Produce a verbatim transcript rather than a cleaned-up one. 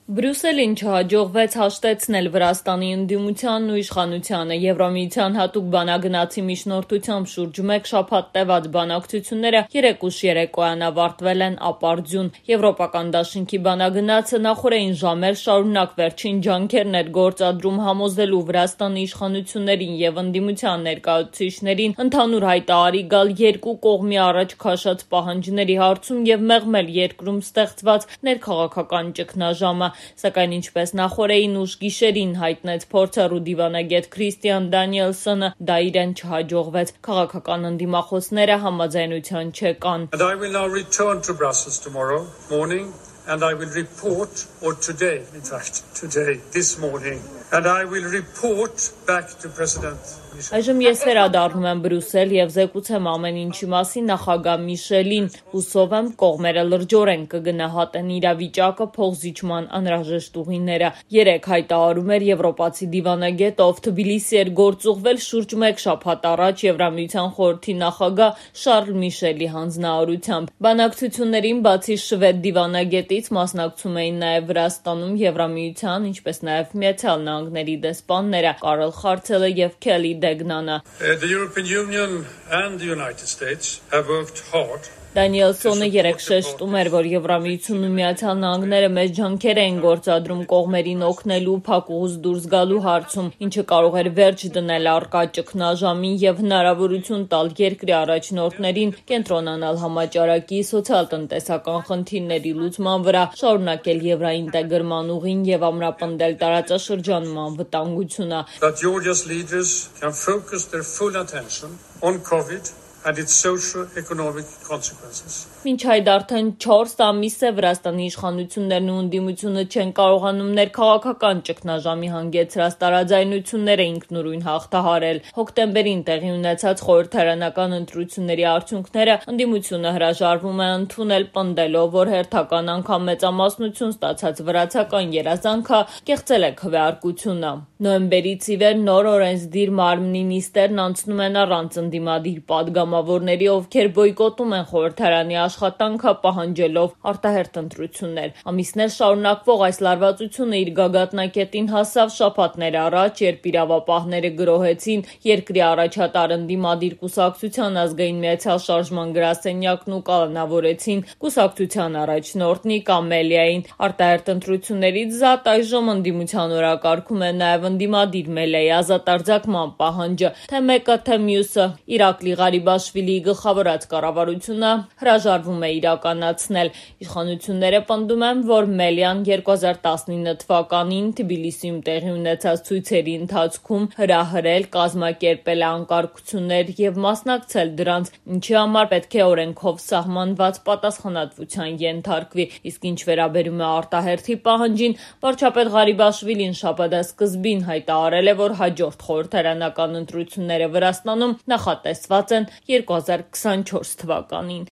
Բրյուսելին չհաջողվեց հաշտեցնել Վրաստանի ընդդիմությանն ու իշխանությանը։ Եվրամիության հատուկ բանագնացի միջնորդությամբ շուրջ մեկ շաբաթ տևած բանակցությունները երեկ ուշ երեկոյան ավարտվել են ապարդյուն։ Եվրոպական դաշինքի բանագնացը նախօրեին ժամեր շարունակ վերջին ջանքերն էր գործադրում համոզելու Վրաստանի իշխանություններին եւ ընդդիմության ներկայացուցիչներին ընդհանուր հայտարարի գալ երկու կողմի առաջ քաշած պահանջների հարցում եւ մեղմել երկրում ստեղծված ներքաղաքական ճգնաժամը։ Սակայն ինչպես նախօրեին ուշ գիշերին հայտնեց փորձառու դիվանագետ Քրիստիան Դանիելսոնը, դա իրեն չհաջողվեց։ Քաղաքական ընդդիմախոսները համաձայնության չեկան։ And I will report, or today, in fact, today, this morning, and I will report back to President Michel. Այժմ ես վերադառնում եմ Բրյուսել եւ զեկուցեմ ամեն ինչի մասին նախագահ Միշելին։ Հուսով եմ կողմերը լրջորեն կգնահատեն իրավիճակը, փոխզիջման անհրաժեշտ ուղիները։ Երեք հայտարարում էր եվրոպացի դիվանագետը, ով Թբիլիսի էր գործուղվել շուրջ մեկ շաբաթ առաջ Եվրամիության խորհրդի նախագահ Շարլ Միշելի հանձնարարությամբ։ Բանակցություններին բացի շվեդ դիվանագետից մասնակցում էին նաև Վրաստանում Եվրամիության, ինչպես նաև Միացյալ Նահանգների դեսպանները Կարլ Խարցելը եւ Քելի Դեգնանը։ The European Union and the United States have worked hard. Դանիելսոնը երեկ շեշտում էր, որ Եվրամիությունն ու Միացյալ Նահանգները մեծ ջանքեր էին գործադրում կողմերին օգնելու փակուղուց դուրս գալու հարցում, ինչը կարող էր վերջ դնել առկա ճգնաժամին եւ հնարավորություն տալ երկրի առաջնորդներին կենտրոնանալ համաճարակի սոցիալ-տնտեսական խնդիրների լուծման վրա, շարունակել եվրաինտեգրման ուղին եւ ամրապնդել տարածաշրջանում անվտանգությունը։ That Georgia's leaders can focus their full attention on COVID and its socio-economic consequences. Մինչ այդ արդեն չորս ամիս է Վրաստանի իշխանություններն ու ընդդիմությունը չեն կարողանում ներքաղաքական ճգնաժամի հանգեցրած տարաձայնությունները ինքնուրույն հաղթահարել։ Հոկտեմբերին տեղի ունեցած խորհրդարանական ընտրությունների արդյունքները ընդդիմությունը հրաժարվում է ընդունել, պնդելով, որ հերթական անգամ մեծամասնություն ստացած վրացական երազանքը կեղծել է քվեարկությունը։ Նոյեմբերից ի վեր նոր օրենսդիր մարմնի նիստերն անցնում են առանց ընդդիմադիր պատգամավորների, ովքեր բոյկոտում են խորհրդարանի աշխատանքը պահանջելով արտահերթ ընտրություններ։ Ամիսներ շարունակվող այս լարվածությունը իր գագաթնակետին հասավ շաբաթներ առաջ, երբ իրավապահները գրոհեցին երկրի առաջատար ընդդիմադիր կուսակցության ազգային միացյալ շարժման գրասենյակն ու կալանավորեցին կուսակցության առաջնորդ Նիկ Ամելիային։ Արտահերթ ընտրություններից զատ այժմ ընդդիմության օրակարգում է նաև ընդդիմադիր Մելեի ազատարձակման պահանջը, թե մեկը, թե մյուսը Իրակլի Ղարիբաշվիլիի գլխավորած կառավարությունը հրաժարվում է իրականացնել։ Իշխանությունները պնդում են, որ Մելիան երկու հազար տասնինը թվականին Թբիլիսիում տեղի ունեցած ցույցերի ընթացքում հրահրել, կազմակերպել է անկարգություններ եւ մասնակցել դրանց, ինչի համար պետք է օրենքով սահմանված պատասխանատվության ենթարկվի։ Իսկ ինչ վերաբերում է արտահերթի պահանջին, վարչապետ Ղարիբաշվիլին շաբաթասկզբին հայտարարել է, որ հաջորդ խորհրդարանական ընտրությունները Վրաստանում նախատեսված են երկու հազար քսանչորս թվականին։